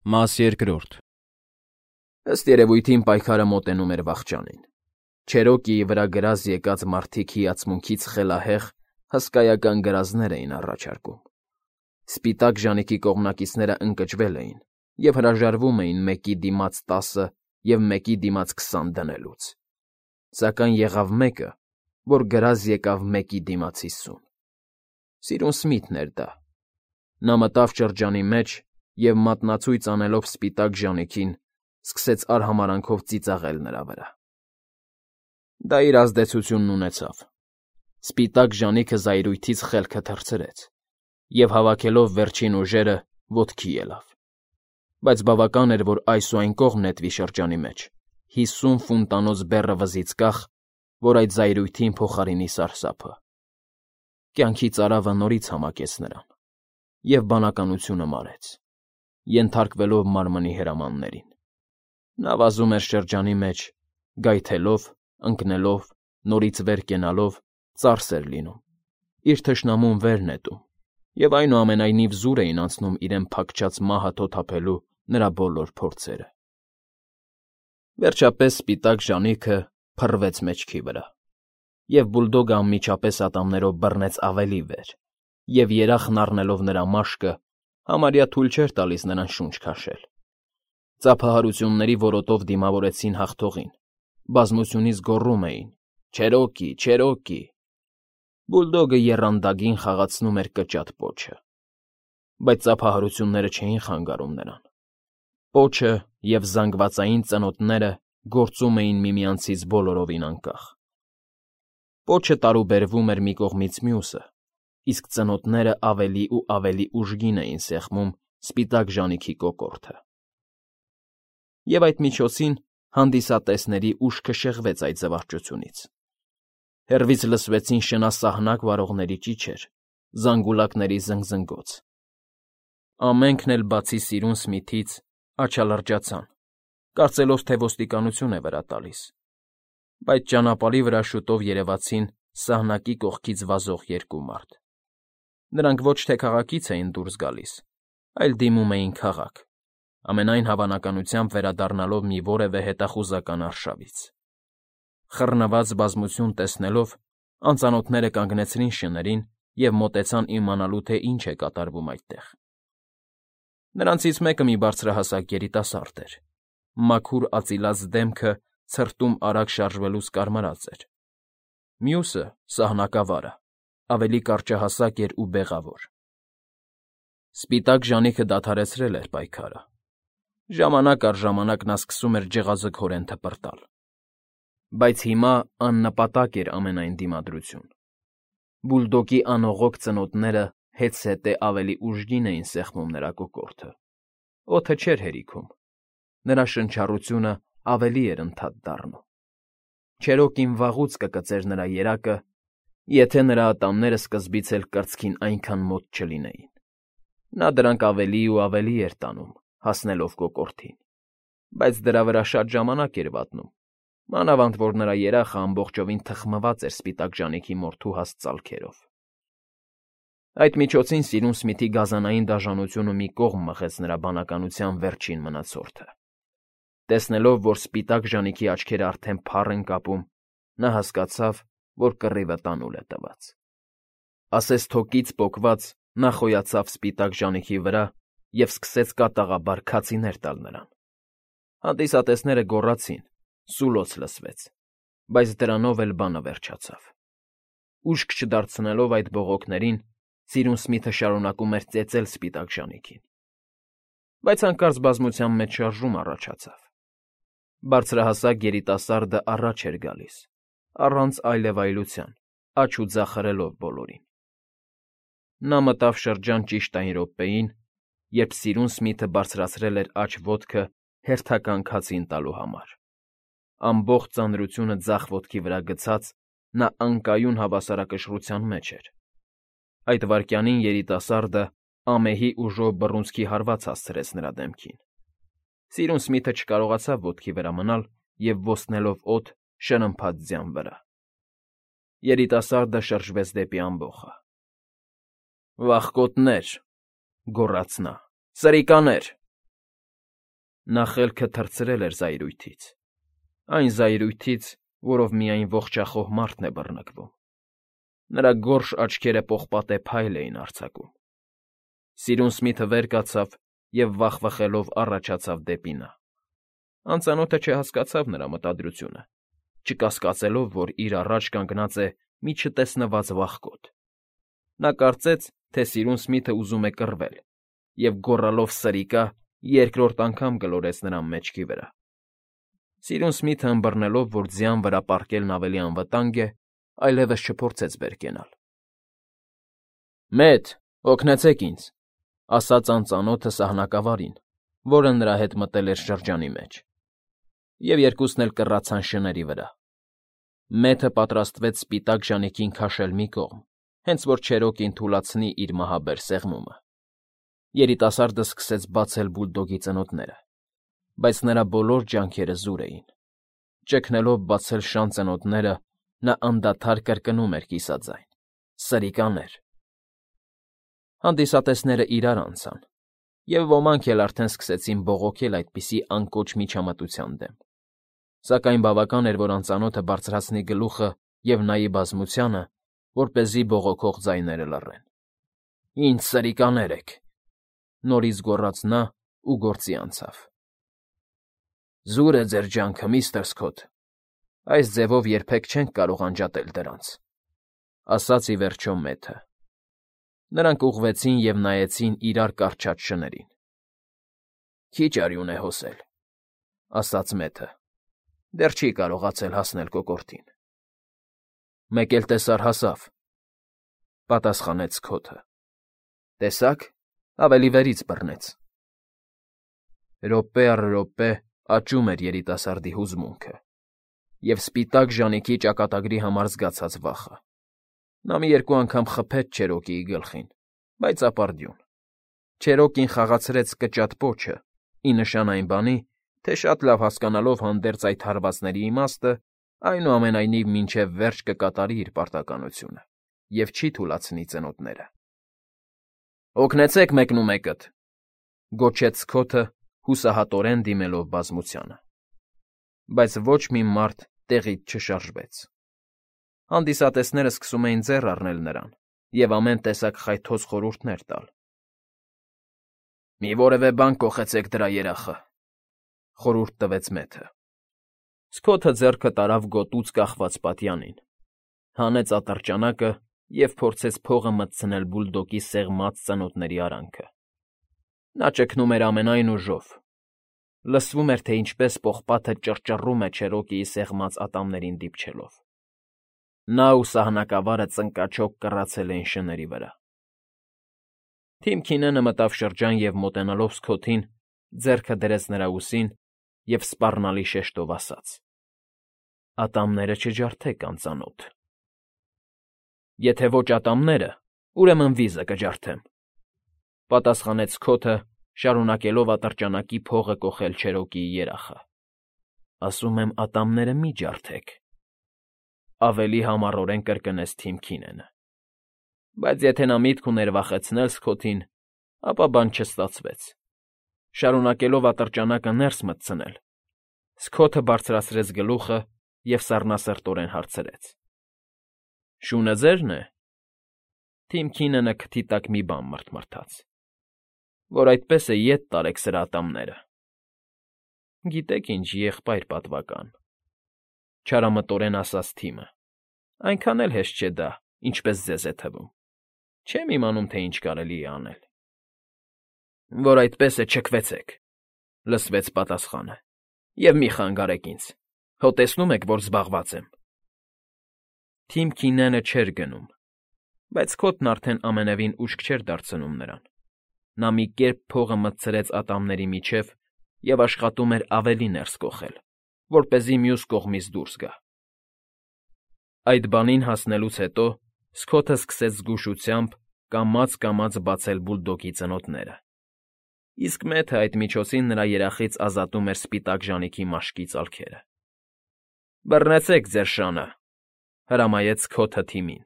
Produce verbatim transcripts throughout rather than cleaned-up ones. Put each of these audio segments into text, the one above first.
Մաս երկրորդ Ըստ երևույթին պայքարը մոտենում էր վախճանին։ Չերոկիի վրա գրազ եկած մարդիկ հիացմունքից խելահեղ, հսկայական գրազներ էին առաջարկում։ Սպիտակ ժանիքի կողմնակիցները ընկճվել էին և հրաժարվում էին մեկի դիմաց տասը և մեկի դիմաց քսան դնելուց, սակայն եղավ մեկը, որ գրազ եկավ մեկի դիմաց հիսուն։ Սիրուն Սմիթն էր դա։ Նա մտավ շրջանի մեջ և, մատնացույց անելով սպիտակ ժանիքին, սկսեց արհամարհանքով ծիծաղել նրա վրա։ Դա իր ազդեցությունն ունեցավ։ Սպիտակ ժանիքը զայրույթից խելքը թռցրեց և, հավաքելով վերջին ուժերը, ոտքի ելավ։ Բայց բավական էր, որ այս ու այն կողմ նետվի շրջանի մեջ, հիսուն ֆունտանոց բեռը վզից կախ, որ այդ զայրույթին փոխարինի սարսափը։ Կյանքի ծարավը նորից համակեց նրան, և բանականությունը մարեց, ենթարկվելով մարմնի հրամաններին։ Նա վազում էր շրջանի մեջ, գայթելով, ընկնելով, նորից վեր կենալով, ծարս էր լինում, իր թշնամուն վեր նետում, և այնուամենայնիվ զուր էին անցնում իրեն փակչած մահը թոթափելու նրա բոլոր փորձերը։ Վերջապես սպիտակ ժանիքը փռվեց մեջքի վրա, և բուլդոգը անմիջապես ատամներով բռնեց ավելի վեր և, երախն առնելով նրա մաշկը, համարյա թույլ չէր տալիս նրան շունչ քաշել։ Ծափահարությունների որոտով դիմավորեցին հաղթողին, բազմությունից գոռում էին. «Չերոկի, Չերոկի»։ Բուլդոգը եռանդագին խաղացնում էր կճատ պոչը։ Բայց ծափահարությունները չէին խանգարում նրան։ Պոչը և զանգվածային ծնոտները գործում էին միմյանցից բոլորովին անկախ։ Պոչը տարուբերվում էր մի կողմից մյուսը, իսկ ծնոտները ավելի ու ավելի ուժգին էին սեղմում սպիտակ ժանիքի կոկորդը։ Եվ այդ միջոցին հանդիսատեսների ուշքը շեղվեց այդ զվարճությունից։ Հեռվից լսվեցին շնասահնակ վարողների ճիչեր, զանգուլակների զնգզնգոց։ Ամենքն էլ, բացի սիրուն Սմիթից, աչալրջացան, կարծելով, թե ոստիկանություն է վրա տալիս։ Բայց ճանապարհի վրա շուտով երևացին սահնակի կողքից վազող երկու մարդ։ Նրանք ոչ թե քաղաքից էին դուրս գալիս, այլ դիմում էին քաղաք, ամենայն հավանականությամբ վերադառնալով մի որևէ հետախուզական արշավից։ Խռնված բազմություն տեսնելով, անծանոթները կանգնեցրին շներին և մոտեցան իմանալու, թե ինչ է կատարվում այդտեղ։ Նրանցից մեկը մի բարձրահասակ երիտասարդ էր։ Մաքուր արծիլած դեմքը ցրտում արագ շարժվելուց կարմրած էր։ Մյուսը՝ սահնակավարը, ավելի կարճահասակ էր ու բեղավոր։ Սպիտակ ժանիքը դադարեցրել էր պայքարը։ Ժամանակ առ ժամանակ նա սկսում էր ջղաձգորեն թպրտալ։ Բայց հիմա աննպատակ էր ամենայն դիմադրություն։ Բուլդոգի անողոք ծնոտները հետզհետե ավելի ուժգին էին սեղմում նրա կոկորդը։ Օդը չէր հերիքում։ Նրա շնչառությունը ավելի էր ընդհատ դառնում։ Չերոկին վաղուց կկծեր նրա երակը, եթե նրա ատամները սկզբից էլ կրծքին այնքան մոտ չլինեին։ Նա դրանք ավելի ու ավելի էր տանում, հասնելով կոկորդին, բայց դրա վրա շատ ժամանակ էր վատնում, մանավանդ որ նրա երախը ամբողջովին թխմված էր սպիտակ ժանիքի մորթու հաստ ծալքերով։ Այդ միջոցին սիրուն Սմիթի գազանային դաժանությունը մի կողմ մղեց նրա բանականության վերջին մնացորդը։ Տեսնելով, որ սպիտակ ժանիքի աչքերը արդեն փառ են կապում, նա հասկացավ, որ կռիվը տանուլ է տված։ Ասես թոկից պոկված, նա խոյացավ սպիտակ ժանիքի վրա և սկսեց կատաղաբար քացիներ տալ նրան։ Հանդիսատեսները գոռացին, սուլոց լսվեց, բայց դրանով էլ բանը վերջացավ։ Ուշք չդարձնելով այդ բողոքներին, սիրուն Սմիթը շարունակում էր ծեծել սպիտակ ժանիքին։ Բայց հանկարծ բազմության մեջ շարժում առաջացավ։ Բարձրահասակ երիտասարդը առաջ էր գալիս, առանց այլևայլության, աջ ու ձախ հրելով բոլորին։ Նա մտավ շրջան ճիշտ այն րոպեին, երբ սիրուն Սմիթը բարձրացրել էր աջ ոտքը հերթական քացին տալու համար։ Ամբողջ ծանրությունը ձախ ոտքի վրա գցած՝ նա անկայուն հավասարակշռության մեջ էր։ Այդ վայրկյանին երիտասարդը ամեհի ուժով բռունցքի հարված հասցրեց նրա դեմքին։ Սիրուն Սմիթը չկարողացավ ոտքի վրա մնալ և, ոստնելով օդ, շրմփաց ձյան վրա։ Երիտասարդը շրջվեց դեպի ամբոխը։ «Վախկոտներ,֊ գոռաց նա,֊ սրիկաներ»։ Նա խելքը թռցրել էր զայրույթից, այն զայրույթից, որով միայն ողջախոհ մարդն է բռնկվում։ Նրա գորշ աչքերը պողպատե փայլ էին արձակում։ Սիրուն Սմիթը վեր կացավ և վախվխելով առաջացավ դեպի նա։ Անծանոթը չհասկացավ նրա մտադրությունը, չկասկածելով, որ իր առաջ կանգնած է մի չտեսնված վախկոտ։ Նա կարծեց, թե սիրուն Սմիթը ուզում է կռվել, և գոռալով «սրիկա» երկրորդ անգամ գլորեց նրան մեջքի վրա։ Սիրուն Սմիթը ըմբռնելով, որ ձյան վրա պառկելն ավելի անվտանգ է, այլևս չփորձեց վեր կենալ։ «Մեծ, օգնեցեք ինձ», ֊ ասաց անծանոթը սահնակավարին, որը նրա հետ մտել էր շրջանի մեջ, և երկուսն էլ կռացան շների վրա։ Մեթը պատրաստվեց սպիտակ ժանիքին քաշել մի կողմ, հենց որ Չերոկին թուլացնի իր մահաբեր սեղմումը։ Երիտասարդը սկսեց բացել բուլդոգի ծնոտները, բայց նրա բոլոր ջանքերը զուր էին։ Ճգնելով բացել շան ծնոտները, նա անդադար կրկնում էր կիսաձայն. «Սրիկաներ»։ Հանդիսատեսները իրար անցան, և ոմանք էլ արդեն սկսեցին բողոքել այդպիսի անկոչ միջամտության դեմ։ Սակայն բավական էր, որ անծանոթը բարձրացնի գլուխը և նայի բազմությանը, որպեսզի բողոքող ձայները լռեն։ «Ինձ սրիկաներ եք», ֊ նորից գոռաց նա ու գործի անցավ։ «Զուր է ձեր ջանքը, միստր Սքոթ, այս ձևով երբեք չենք կարող անջատել դրանց», ֊ ասաց ի վերջո Մեթը։ Նրանք ուղղվեցին և նայեցին իրար կառչած շներին։ «Քիչ արյուն է հոսել», ֊ ասաց Մեթը։ «Դեռ չի կարողացել հասնել կոկորդին»։ «Մեկ էլ տեսար հասավ», ֊ պատասխանեց Սքոթը։ «Տեսա՞ք, ավելի վերից բռնեց»։ Րոպե առ րոպե աճում էր երիտասարդի հուզմունքը և սպիտակ ժանիքի ճակատագրի համար զգացած վախը։ Նա մի երկու անգամ խփեց Չերոկիի գլխին, բայց ապարդյուն։ Չերոկին խաղացրեց կճատ պոչը, ի նշան այն բանի, թե շատ լավ հասկանալով հանդերձ այդ հարվածների իմաստը, այնուամենայնիվ մինչև վերջ կկատարի իր պարտականությունը և չի թուլացնի ծնոտները։ «Օգնեցեք մեկնումեկդ», ֊ գոչեց Սքոթը, հուսահատորեն դիմելով բազմությանը։ Բայց ոչ մի մարդ տեղից չշարժվեց։ Հանդիսատեսներն սկսում էին ձեռ առնել նրան և ամեն տեսակ խայթոց խորհուրդներ տալ։ «Մի որևէ բան կոխեցեք դրա երախը», ֊ խորհուրդ տվեց Մեթը։ Սքոթը ձեռքը տարավ գոտուց կախված պատյանին, հանեց ատրճանակը և փորձեց փողը մտցնել բուլդոգի սեղմած ծնոտների արանքը։ Նա ճգնում էր ամենայն ուժով։ Լսվում էր, թե ինչպես պողպատը ճռճռում է Չերոկիի սեղմած ատամներին դիպչելով։ Նա ու սահնակավարը ծնկաչոք կռացել էին շների վրա։ Թիմ Քինենը մտավ շրջան և, մոտենալով Սքոթին, ձեռքը դրեց նրա ուսին և սպառնալի շեշտով ասաց. «Ատամները չջարդեք, անծանոթ»։ «Եթե ոչ ատամները, ուրեմն վիզը կջարդեմ», ֊ պատասխանեց Սքոթը, շարունակելով ատրճանակի փողը կոխել Չերոկիի երախը։ «Ասում եմ, ատամները մի ջարդեք», ֊ ավելի համառորեն կրկնեց թիմ Քինենը։ Բայց եթե նա միտք ուներ վախեցնել Սքոթին, ապա բան չստացվեց։ Շարունակելով ատրճանակը ներս մտցնել, Սքոթը բարձրացրեց գլուխը և սառնասրտորեն հարցրեց. «Շունը ձե՞րն է»։ Թիմ Քինենը քթի տակ մի բան մռթմռթաց։ «Որ այդպես է, ետ տարեք սրա ատամները»։ «Գիտեք ինչ, եղբայր պատվական», ֊ չարամտորեն ասաց թիմը, «այնքան էլ հեշտ չէ դա, ինչպես ձեզ է թվում։ Չեմ իմանում, թե ինչ կարելի է անել»։ «Որ այդպես է, չքվեցեք», ֊ լսվեց պատասխանը, «և մի խանգարեք ինձ, հո տեսնում եք, որ զբաղված եմ»։ Թիմ Քինենը չէր գնում, բայց Սքոթն արդեն ամենևին ուշք չէր դարձնում նրան։ Նա մի կերպ փողը մտցրեց ատամների միջև և աշխատում էր ավելի ներս կոխել, որպեսզի մյուս կողմից դուրս գա։ Այդ բանին հասնելուց հետո Սքոթը սկսեց զգուշությամբ կամաց֊կամաց բացել բուլդոգի ծնոտները, իսկ Մեթը այդ միջոցին նրա երախից ազատում էր սպիտակ ժանիքի մաշկի ծալքերը։ «Բռնեցեք ձեր շանը», ֊ հրամայեց Սքոթը թիմին։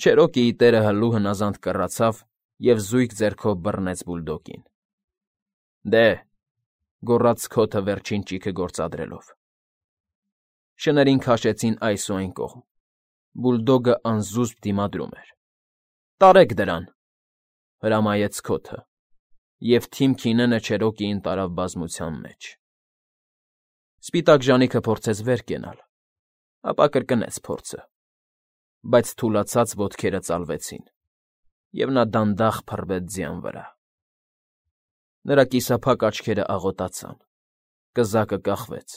Չերոկիի տերը հլու հնազանդ կռացավ և զույգ ձեռքով բռնեց բուլդոգին։ «Դե, գոռաց Սքոթը վերջին ճիգը գործադրելով։ Շներին քաշեցին այս ու այն կողմ։ Բուլդոգը անզուսպ դիմադրում էր։ Տարեք դրան, հրամայեց Սքոթը, և Թիմ Քինենը Չերոկիին տարավ բազմության մեջ։ Սպիտակ ժանիքը փորձեց վեր կենալ, ապա կրկնեց փորձը, բայց թուլացած ոտքերը ծալվեցին, և նա դանդաղ փռվեց ձյան վրա։ Նրա կիսափակ աչքերը աղոտացան, կզակը կախվեց,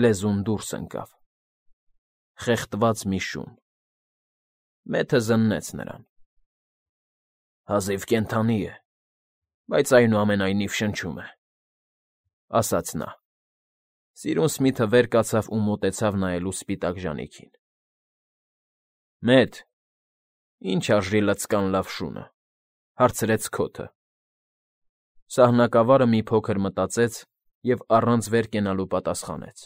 լեզուն դուրս ընկավ։ Խեղդված մի շուն։ Մեթը զննեց նրան։ Հազիվ կենդանի է, բայց այնուամենայնիվ շնչում է, ասաց նա։ Սիրուն Սմիթը վեր կացավ ու մոտեցավ նայելու սպիտակ ժանիքին։ Մեթ, ի՞նչ արժի լցկան լավ շունը, հարցրեց Սքոթը։ Սահնակավարը մի փոքր մտածեց և առանց վեր կենալու պատասխանեց.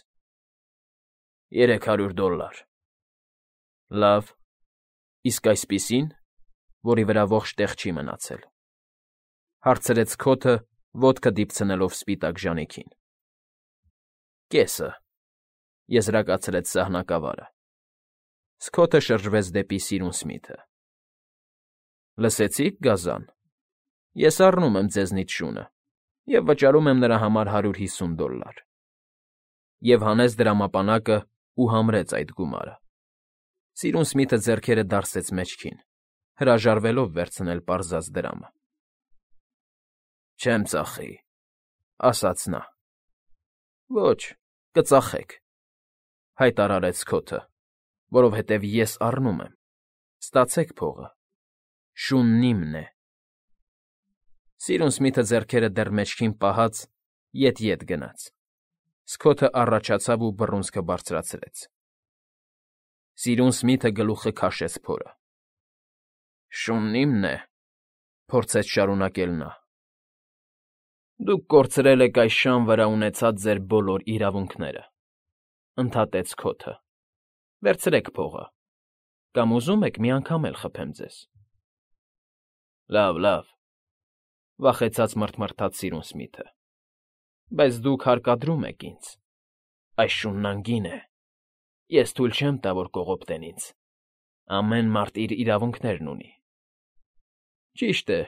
Երեք հարյուր դոլլար։ Լավ, իսկ այսպիսի՞ն, որի վրա ողջ տեղ չի մնացել, հարցրեց Սքոթը, ոտքը դիպցնելով սպիտակ ժանիքին։ Կեսը, եզրակացրեց սահնակավարը։ Սքոթը շրջվեց դեպի Սիրուն Սմիթը։ Լսեցի՞ք, գազան, ես առնում եմ ձեզնից շունը և վճարում եմ նրա համար հարյուր հիսուն դոլլար։ Եվ հանեց դրամապանակը ու համրեց այդ գումարը։ Սիրուն Սմիթը ձեռքերը դարսեց մեջքին, հրաժարվելով վերցնել պարզած դրամը։ Չեմ ծախի, ասաց նա։ Ոչ, կծախեք, հայտարարեց Սքոթը, որովհետև ես առնում եմ, ստացեք փողը, շունն իմն է։ Սիրուն Սմիթը ձեռքերը դեռ մեջքին պահած ետ֊ետ գնաց։ Սքոթը առաջացավ ու բռունցքը բարձրացրեց։ Սիրուն Սմիթը գլուխը քաշեց փորը։ Շունն իմն է, փորձեց շարունակել նա։ Դուք կորցրել եք այս շան վրա ունեցած ձեր բոլոր իրավունքները, ընդհատեց Սքոթը։ Վերցրեք փողը, կամ ուզում եք մի անգամ էլ խփեմ ձեզ։ Լավ, լավ, վախեցած մռթմռթաց Սիրուն Սմիթը։ Բայց դուք հարկադրում եք ինձ։ Այս շունն անգին է։ Ես թույլ չեմ տա, որ կողոպտեն ինձ։ Ամեն մարդ իր իրավունքներն ունի։ Ճիշտ է,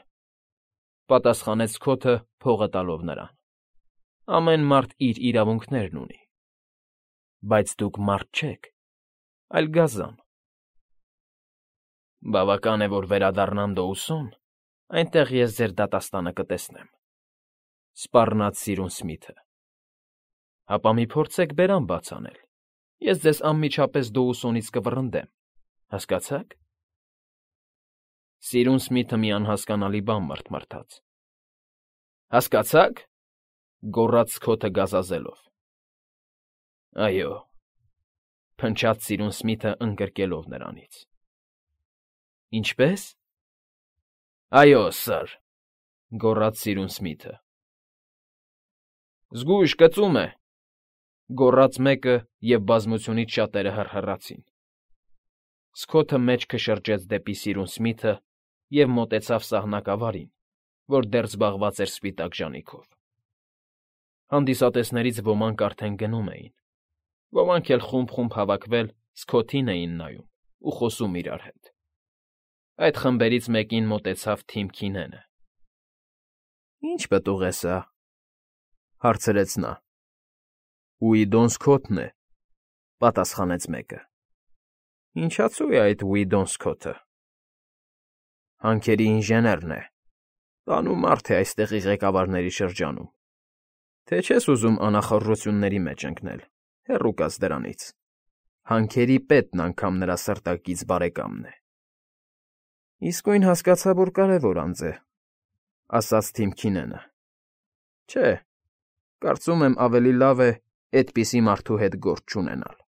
պատասխանեց Սքոթը, փողը տալով նրան։ Ամեն մարդ իր իրավունքներն ունի։ Բայց դուք մարդ չեք, այլ գազան։ Բավական է, որ վերադառնամ Դոուսոն, այնտեղ ես ձեր դատաստանը կտեսնեմ, սպառնաց Սիրուն Սմիթը։ Հապա մի փորձեք բերան բաց անել, ես ձեզ անմիջապես Դոուսոնից կվռնդեմ, հասկացա՞ք։ Սիրուն Սմիթը մի անհասկանալի բան մռթմռթաց։ Հասկացա՞ք, գոռաց Սքոթը գազազելով։ Այո, փնչաց Սիրուն Սմիթը ընկրկելով նրանից։ Ինչպե՞ս։ Այո, սըր, գոռաց Սիրուն Սմիթը։ Զգույշ կծում է, գոռաց մեկը, և բազմությունից շատերը հռհռացին։ Սքոթը մեջքը շրջեց դեպի Սիրուն Սմիթը և մոտեցավ սահնակավարին, որ դեռ զբաղված էր սպիտակ ժանիքով։ Հանդիսատեսներից ոմանք արդեն գնում էին, ոմանք էլ խումբ֊խումբ հավաքվել Սքոթին էին նայում ու խոսում իրար հետ։ Այդ խմբերից մեկին մոտեցավ Թիմ Քինենը։ Ի՞նչ պտուղ է սա, հարցրեց նա։ Ուիդոն Սքոթն է, պատասխանեց մեկը։ Ինչացու է այդ Ուիդոն Սքոթը։ Հանքերի ինժեներն է, բանու մարդ է այստեղի ղեկավարների շրջանում։ Թե չես ուզում անախորժությունների մեջ ընկնել, հեռու կաց դրանից։ Հանքերի պետն անգամ նրա սրտակից բարեկամն է։ Իսկույն հասկացա, որ կարևոր անձ է, ասաց Թիմ Քինենը։ Չէ, կարծում եմ ավելի լավ է էդպիսի մարդու հետ գործ չունենալ։